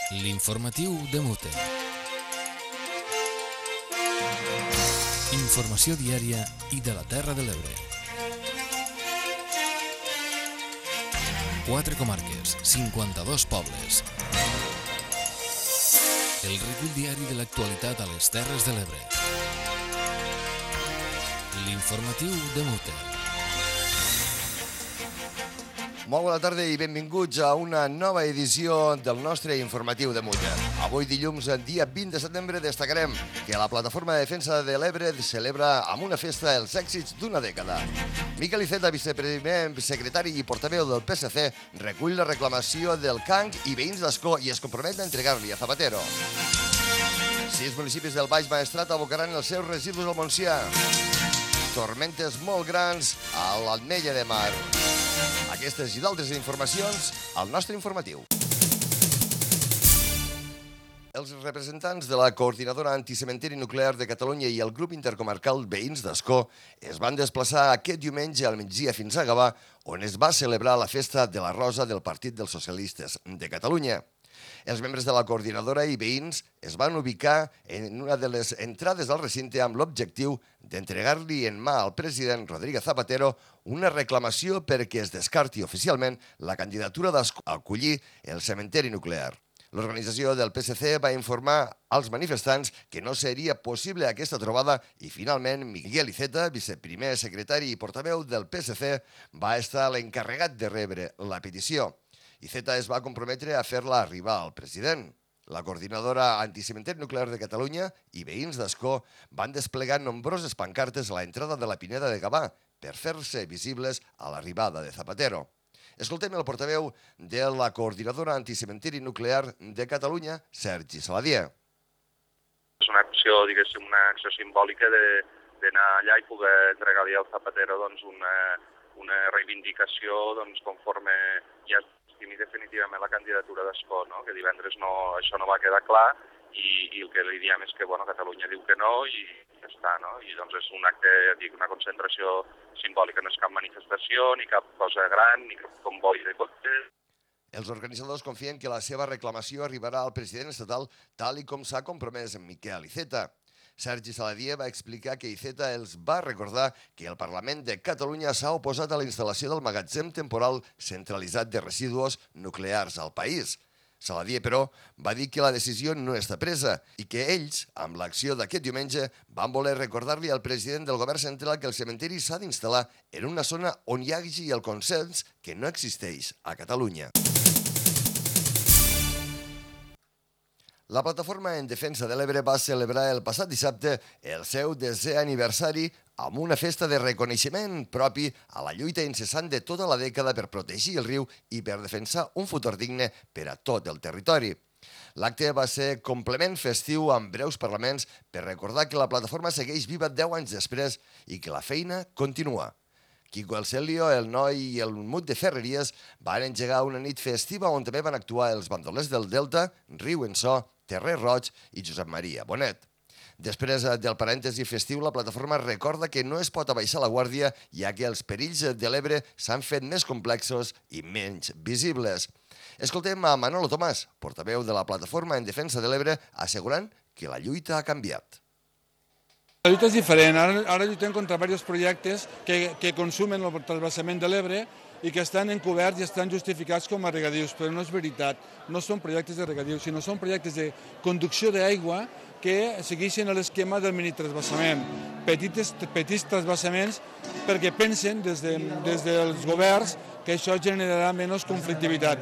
L'informatiu de Mute. Informació diària i de la Terra de l'Ebre. 4 comarques, 52 pobles. El recull diari de l'actualitat a les Terres de l'Ebre. L'informatiu de Mute. Molt bona tarda i benvinguts a una nova edició del nostre informatiu de Mute. Avui dilluns, dia 20 de setembre, destacarem que la Plataforma de Defensa de l'Ebre celebra amb una festa els èxits d'una dècada. Miquel Iceta, viceprimer secretari i portaveu del PSC, recull la reclamació del CANC i veïns d'Ascó i es compromet a entregar-li a Zapatero. 6 municipis del Baix Maestrat abocaran els seus residus al Montsià. Tormentes molt grans a l'Ametlla de Mar. Aquestes i d'altres informacions al nostre informatiu. Els representants de la Coordinadora Anticementeri Nuclear de Catalunya i el grup intercomarcal Veïns d'Ascó es van desplaçar aquest diumenge al migdia fins a Gavà, on es va celebrar la festa de la Rosa del Partit dels Socialistes de Catalunya. Els membres de la coordinadora i veïns es van ubicar en una de les entrades al recinte amb l'objectiu d'entregar-li en mà al president Rodríguez Zapatero una reclamació perquè es descarti oficialment la candidatura d'Ascó a acollir el cementeri nuclear. L'organització del PSC va informar als manifestants que no seria possible aquesta trobada i finalment Miquel Iceta, viceprimer secretari i portaveu del PSC, va estar l'encarregat de rebre la petició. Iceta es va comprometre a fer-la arribar al president. La Coordinadora Anticementeri Nuclear de Catalunya i veïns d'Ascó van desplegar nombroses pancartes a l'entrada de la Pineda de Gavà per fer-se visibles a l'arribada de Zapatero. Escoltem el portaveu de la Coordinadora Anticementeri Nuclear de Catalunya, Sergi Saladier. És una acció, diguéssim, una acció simbòlica d'anar allà i poder entregar-li al Zapatero una reivindicació conforme ja i definitivament la candidatura d'Ascó, no? Que divendres això no va quedar clar i el que li diem és que Catalunya diu que no i ja està, no? I doncs és un acte, una concentració simbòlica, no és cap manifestació, ni cap cosa gran, ni cap comboi de cotxes. Els organitzadors confien que la seva reclamació arribarà al president estatal tal i com s'ha compromès en Miquel Iceta. Sergi Saladier va explicar que Iceta els va recordar que el Parlament de Catalunya s'ha oposat a la instal·lació del magatzem temporal centralitzat de residus nuclears al país. Saladier, però, va dir que la decisió no està presa i que ells, amb l'acció d'aquest diumenge, van voler recordar-li al president del govern central que el cementeri s'ha d'instal·lar en una zona on hi hagi el consens que no existeix a Catalunya. La Plataforma en Defensa de l'Ebre va celebrar el passat dissabte el seu 10è aniversari amb una festa de reconeixement propi a la lluita incessant de tota la dècada per protegir el riu i per defensar un futur digne per a tot el territori. L'acte va ser complement festiu amb breus parlaments per recordar que la plataforma segueix viva 10 anys després i que la feina continua. Quico El Celio, el Noi i el Mut de Ferreries van engegar una nit festiva on també van actuar els bandolers del Delta, Riu en So, Terrer Roig i Josep Maria Bonet. Després del parèntesi festiu, la plataforma recorda que no es pot abaixar la guàrdia, ja que els perills de l'Ebre s'han fet més complexos i menys visibles. Escoltem a Manolo Tomàs, portaveu de la Plataforma en Defensa de l'Ebre, assegurant que la lluita ha canviat. La lluita és diferent. Ara lluitem contra diversos projectes que consumen el transvasament de l'Ebre i que estan encoberts i estan justificats com a regadius, però no és veritat. No són projectes de regadius, sinó són projectes de conducció d'aigua que segueixen l'esquema del minitransvasament. Petits transvasaments perquè pensen des dels governs que això generarà menys conflictivitat.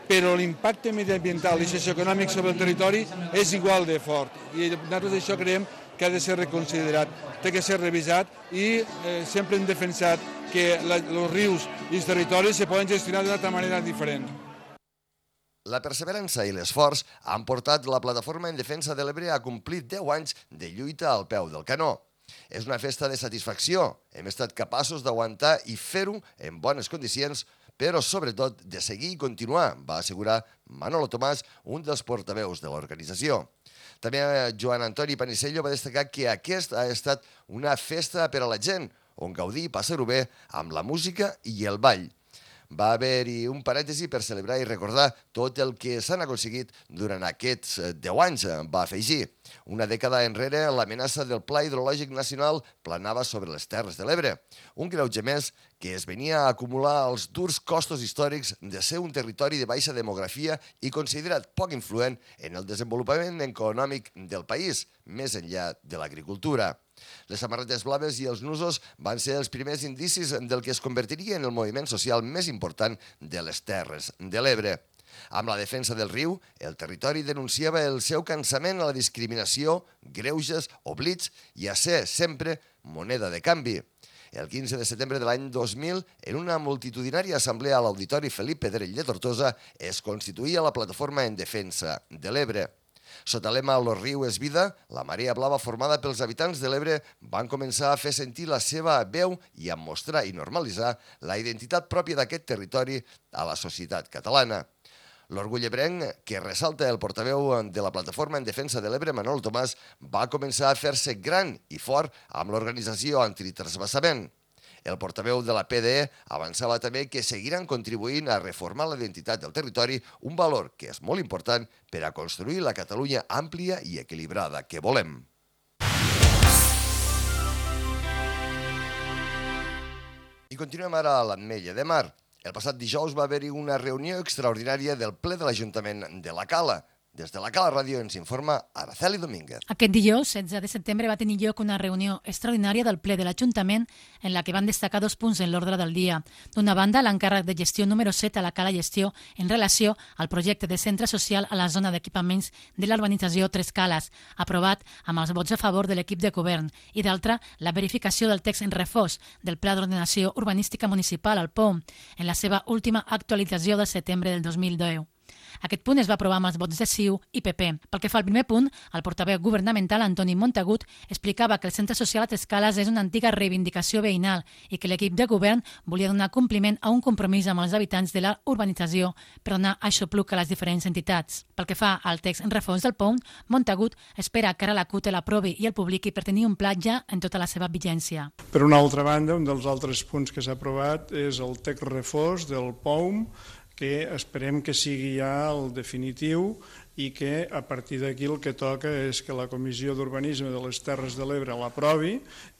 Però l'impacte mediambiental i socioeconòmic sobre el territori és igual de fort. I nosaltres això creiem que ha de ser reconsiderat, té que ser revisat i sempre hem defensat que els rius i els territoris se poden gestionar d'una altra manera diferent. La perseverança i l'esforç han portat la Plataforma en Defensa de l'Ebre a complir 10 anys de lluita al peu del canó. És una festa de satisfacció. Hem estat capaços d'aguantar i fer-ho en bones condicions, però sobretot de seguir i continuar, va assegurar Manolo Tomàs, un dels portaveus de l'organització. També Joan Antoni Panisello va destacar que aquesta ha estat una festa per a la gent, on gaudir i passar-ho bé amb la música i el ball. va haver-hi un parèntesi per celebrar i recordar tot el que s'han aconseguit durant aquests 10 anys, va afegir. Una dècada enrere, l'amenaça del Pla Hidrològic Nacional planava sobre les Terres de l'Ebre. Un greuge més que es venia a acumular als durs costos històrics de ser un territori de baixa demografia i considerat poc influent en el desenvolupament econòmic del país, més enllà de l'agricultura. Les samarretes blaves i els nusos van ser els primers indicis del que es convertiria en el moviment social més important de les Terres de l'Ebre. Amb la defensa del riu, el territori denunciava el seu cansament a la discriminació, greuges, oblits i a ser sempre moneda de canvi. El 15 de setembre de l'any 2000, en una multitudinària assemblea a l'Auditori Felip Pedrell de Tortosa, es constituïa la Plataforma en Defensa de l'Ebre. Sota lema «Lo riu és vida», la marea blava formada pels habitants de l'Ebre van començar a fer sentir la seva veu i a mostrar i normalitzar la identitat pròpia d'aquest territori a la societat catalana. L'orgull ebrenc, que ressalta el portaveu de la Plataforma en Defensa de l'Ebre, Manol Tomàs, va començar a fer-se gran i fort amb l'organització antitransvasament. El portaveu de la PDE avançava també que seguiran contribuint a reformar la identitat del territori, un valor que és molt important per a construir la Catalunya àmplia i equilibrada que volem. I continuem ara a l'Ametlla de Mar. El passat dijous va haver-hi una reunió extraordinària del ple de l'Ajuntament de la Cala. Des de la Cala Ràdio ens informa Araceli Domínguez. Aquest dijous, 16 de setembre, va tenir lloc una reunió extraordinària del ple de l'Ajuntament en la que van destacar 2 punts en l'ordre del dia. D'una banda, l'encàrrec de gestió número 7 a la Cala Gestió en relació al projecte de centre social a la zona d'equipaments de la urbanització Tres Cales, aprovat amb els vots a favor de l'equip de govern, i d'altra, la verificació del text en refós del Pla d'Ordenació Urbanística Municipal, el POM, en la seva última actualització de setembre del 2010. Aquest punt es va aprovar amb els vots de CiU i PP. Pel que fa al primer punt, el portaveu governamental Antoni Montagut explicava que el centre social a Tres Cales és una antiga reivindicació veïnal i que l'equip de govern volia donar compliment a un compromís amb els habitants de la urbanització per donar aixopluc a les diferents entitats. Pel que fa al text en refons del POM, Montagut espera que ara la CUT l'aprovi i el publiqui per tenir un pla ja en tota la seva vigència. Per una altra banda, un dels altres punts que s'ha aprovat és el text refós del POM, que esperem que sigui ja el definitiu i que a partir d'aquí el que toca és que la Comissió d'Urbanisme de les Terres de l'Ebre l'aprovi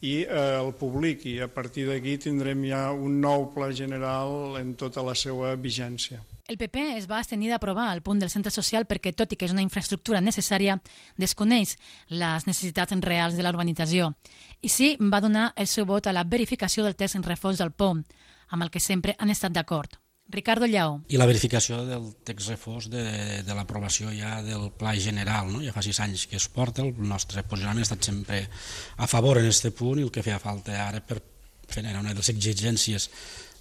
i el publiqui. A partir d'aquí tindrem ja un nou pla general en tota la seva vigència. El PP es va abstenir d'aprovar el punt del centre social perquè, tot i que és una infraestructura necessària, desconeix les necessitats reals de la urbanització. I sí, va donar el seu vot a la verificació del text en refós del POM, amb el que sempre han estat d'acord. Ricardo Llaó. I la verificació del text refós de l'aprovació ja del pla general, no? Ja fa 6 anys que es porta, el nostre posicionament ha estat sempre a favor en aquest punt i el que feia falta ara per fer una de les exigències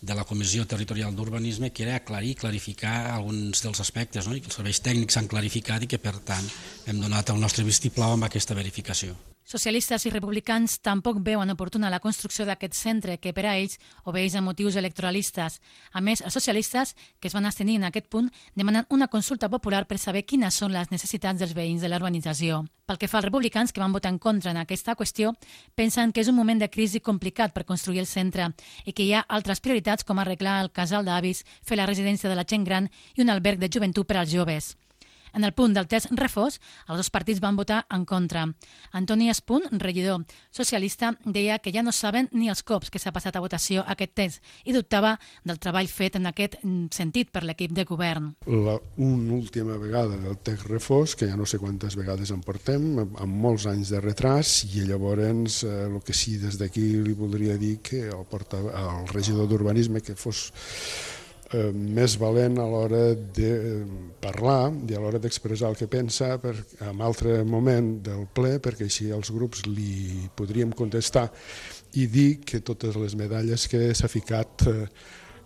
de la Comissió Territorial d'Urbanisme que era aclarir, clarificar alguns dels aspectes, no? I que els serveis tècnics s'han clarificat i que per tant hem donat el nostre vistiplau amb aquesta verificació. Socialistes i republicans tampoc veuen oportuna la construcció d'aquest centre que per a ells obeeix a motius electoralistes. A més, els socialistes, que es van abstenir en aquest punt, demanen una consulta popular per saber quines són les necessitats dels veïns de la urbanització. Pel que fa als republicans, que van votar en contra en aquesta qüestió, pensen que és un moment de crisi complicat per construir el centre i que hi ha altres prioritats com arreglar el casal d'avis, fer la residència de la gent gran i un alberg de joventut per als joves. En el punt del test refós, els 2 partits van votar en contra. Antoni Espunt, regidor socialista, deia que ja no saben ni els cops que s'ha passat a votació aquest test i dubtava del treball fet en aquest sentit per l'equip de govern. Una última vegada del text refós, que ja no sé quantes vegades en portem, amb molts anys de retras, i llavors el que sí des d'aquí li voldria dir que el regidor d'Urbanisme que fos més valent a l'hora de parlar i a l'hora d'expressar el que pensa en altre moment del ple, perquè així els grups li podríem contestar i dir que totes les medalles que s'ha ficat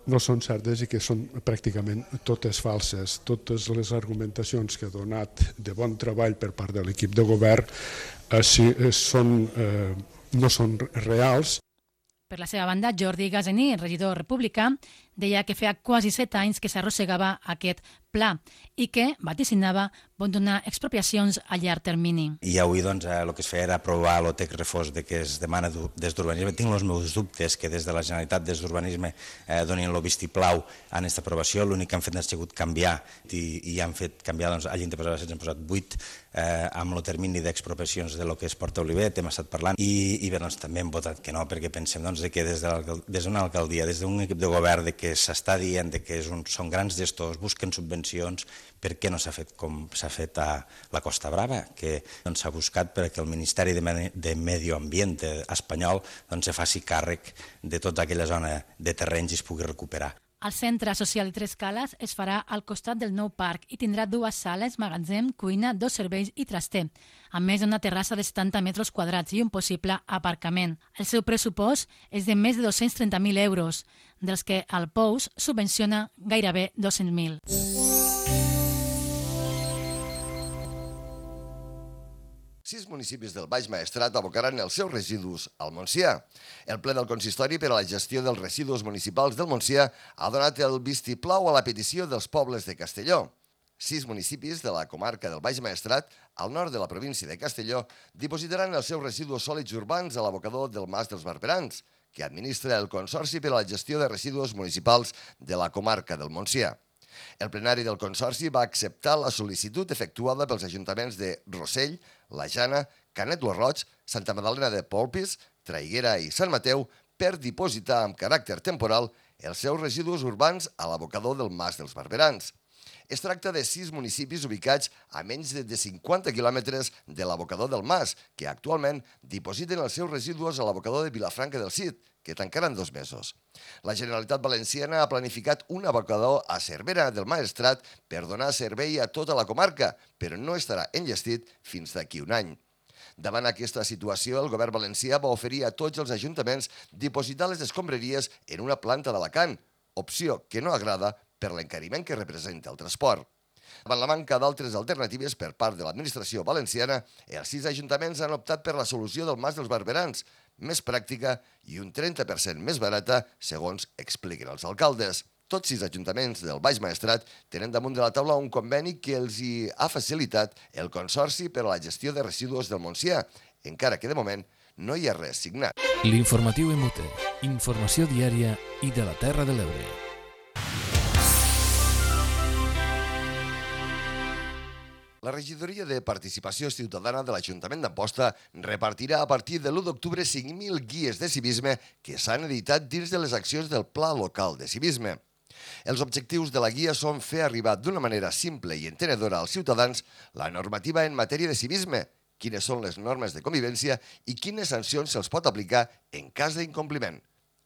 no són certes i que són pràcticament totes falses. Totes les argumentacions que ha donat de bon treball per part de l'equip de govern no són reals. Per la seva banda, Jordi Gasení, regidor republicà, Deia que feia quasi 7 anys que s'arrossegava aquest pla i que vaticinava pot donar expropiacions a llarg termini. I avui el que es feia era aprovar el text refós que es demana des d'urbanisme. Tinc els meus dubtes que des de la Generalitat, des d'urbanisme, donin el vistiplau en aquesta aprovació. L'únic que han fet ha sigut canviar i han fet canviar, hagin de posar 16, han posat 8 amb el termini d'expropiacions de lo que és Porta Olivet, hem estat parlant, i bé, també hem votat que no, perquè pensem que des d'una alcaldia, des d'un equip de govern que s'està dient que són grans gestors, busquen subvencions, per què no s'ha fet com s'ha fet a la Costa Brava, que s'ha buscat perquè el Ministeri de Medi Ambient espanyol se faci càrrec de tota aquella zona de terrenys i es pugui recuperar. El Centre Social i Tres Cales es farà al costat del nou parc i tindrà 2 sales, magatzem, cuina, 2 serveis i traster, a més d'una terrassa de 70 metres quadrats i un possible aparcament. El seu pressupost és de més de 230.000 euros, dels que el POUS subvenciona gairebé 200.000. Sis municipis del Baix Maestrat abocaran els seus residus al Montsià. El ple del Consistori per a la gestió dels residus municipals del Montsià ha donat el vistiplau a la petició dels pobles de Castelló. 6 municipis de la comarca del Baix Maestrat, al nord de la província de Castelló, dipositaran els seus residus sòlids urbans a l'abocador del Mas dels Barberans, que administra el Consorci per a la gestió de residus municipals de la comarca del Montsià. El plenari del Consorci va acceptar la sol·licitud efectuada pels ajuntaments de Rossell, La Jana, Canet lo Roig, Santa Magdalena de Polpís, Traiguera i Sant Mateu per dipositar amb caràcter temporal els seus residus urbans a l'abocador del Mas dels Barberans. Es tracta de 6 municipis ubicats a menys de 50 quilòmetres de l'abocador del Mas, que actualment dipositen els seus residus a l'abocador de Vilafranca del Cid, que tancaran 2 mesos. La Generalitat Valenciana ha planificat un abocador a Cervera del Maestrat per donar servei a tota la comarca, però no estarà enllestit fins d'aquí un any. Davant aquesta situació, el govern valencià va oferir a tots els ajuntaments dipositar les escombraries en una planta d'Alacant, opció que no agrada per l'encariment que representa el transport. Davant la manca d'altres alternatives per part de l'administració valenciana, els 6 ajuntaments han optat per la solució del Mas dels Barberans, més pràctica i un 30% més barata, segons expliquen els alcaldes. Tots 6 ajuntaments del Baix Maestrat tenen damunt de la taula un conveni que els hi ha facilitat el Consorci per a la gestió de residus del Montsià, encara que de moment no hi ha res signat. L'informatiu MOT, informació diària i de la Terra de l'Ebre. La regidoria de Participació Ciutadana de l'Ajuntament d'Amposta repartirà a partir de l'1 d'octubre 5.000 guies de civisme que s'han editat dins de les accions del Pla Local de Civisme. Els objectius de la guia són fer arribar d'una manera simple i entenedora als ciutadans la normativa en matèria de civisme, quines són les normes de convivència i quines sancions se'ls pot aplicar en cas d'incompliment.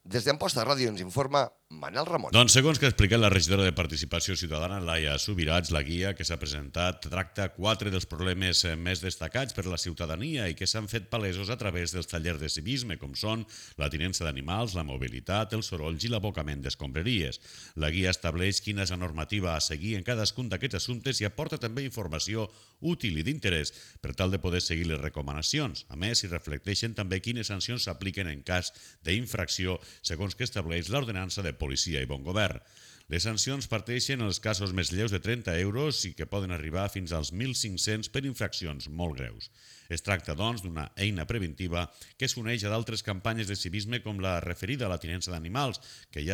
Des d'Amposta Ràdio ens informa Manel Ramon. Doncs segons que ha explicat la regidora de Participació Ciutadana, Laia Subirats, la guia que s'ha presentat tracta 4 dels problemes més destacats per la ciutadania i que s'han fet palesos a través dels tallers de civisme, com són la tinença d'animals, la mobilitat, els sorolls i l'abocament d'escombraries. La guia estableix quina és la normativa a seguir en cadascun d'aquests assumptes i aporta també informació útil i d'interès per tal de poder seguir les recomanacions. A més, s'hi reflecteixen també quines sancions s'apliquen en cas d'infracció segons que estableix l'ordenança de policia i bon govern. Les sancions parteixen en els casos més lleus de 30 euros i que poden arribar fins als 1.500 per infraccions molt greus. Es tracta, doncs, d'una eina preventiva que s'uneix a d'altres campanyes de civisme com la referida a la tinença d'animals, que ja